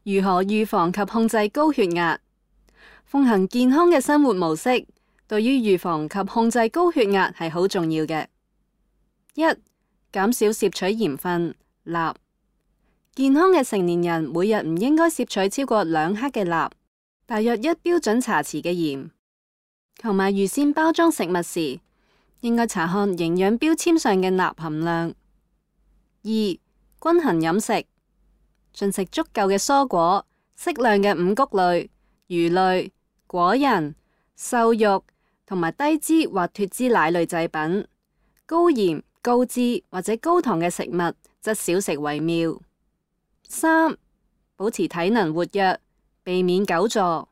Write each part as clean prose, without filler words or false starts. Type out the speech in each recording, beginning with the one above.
如何預防及控制高血壓？奉行健康嘅生活模式，對於預防及控制高血壓係好重要嘅。一、減少攝取鹽分鈉。健康嘅成年人每日唔應該攝取超過2克嘅鈉，大約1標準茶匙嘅鹽。購買預先包裝食物時，應該查看營養標籤上嘅鈉含量。2、均衡飲食，進食足夠嘅蔬果、適量嘅五穀類、魚類、果仁、瘦肉同埋低脂或脫脂奶類製品。高鹽、高脂或者高糖嘅食物則少食為妙。3、保持體能活躍，避免久坐。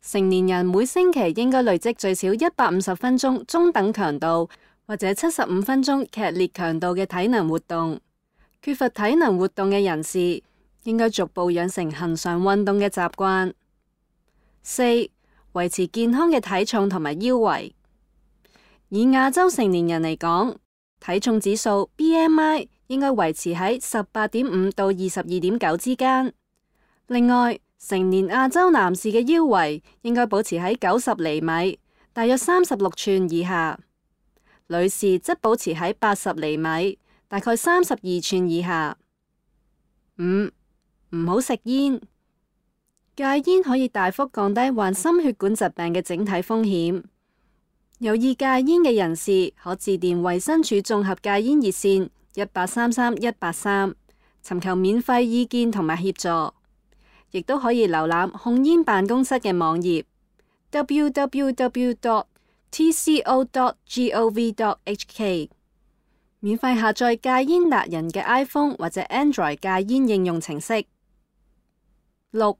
成年人每星期應該累積最少150分鐘中等強度或者75分鐘劇烈強度嘅體能活動。缺乏體能活動嘅人士應該逐步養成恆常運動嘅習慣。4、維持健康嘅體重同埋腰圍。以亞洲成年人嚟講，體重指數 BMI 應該維持喺18.5到22.9之間。另外，成年亞洲男士嘅腰圍應該保持喺90厘米，大約36寸以下；女士則保持喺80厘米，大概32寸以下。5、唔好食煙。戒煙可以大幅降低患心血管疾病嘅整體風險。有意戒煙嘅人士可致電衛生署綜合戒煙熱線1833-183，尋求免費意見同埋協助。亦都可以瀏覽控煙辦公室嘅網頁 www.tco.gov.hk， 免費下載戒煙達人嘅 iPhone 或者 Android 戒煙應用程式。6、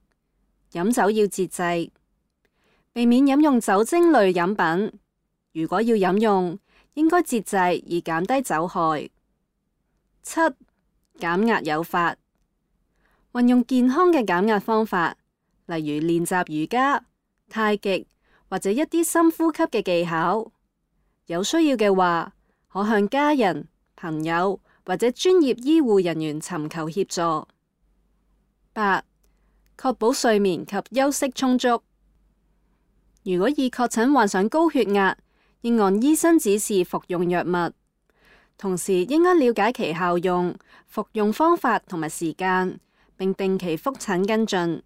飲酒要節制，避免飲用酒精類飲品。如果要飲用，應該節制以減低酒害。7、減壓有法。運用健康嘅減壓方法，例如練習瑜伽、太極或者一啲深呼吸嘅技巧。有需要嘅話，可向家人、朋友或者專業醫護人員尋求協助。8、確保睡眠及休息充足。如果已確診患上高血壓，應按醫生指示服用藥物，同時應該了解其效用、服用方法同埋時間，並定期覆診跟進。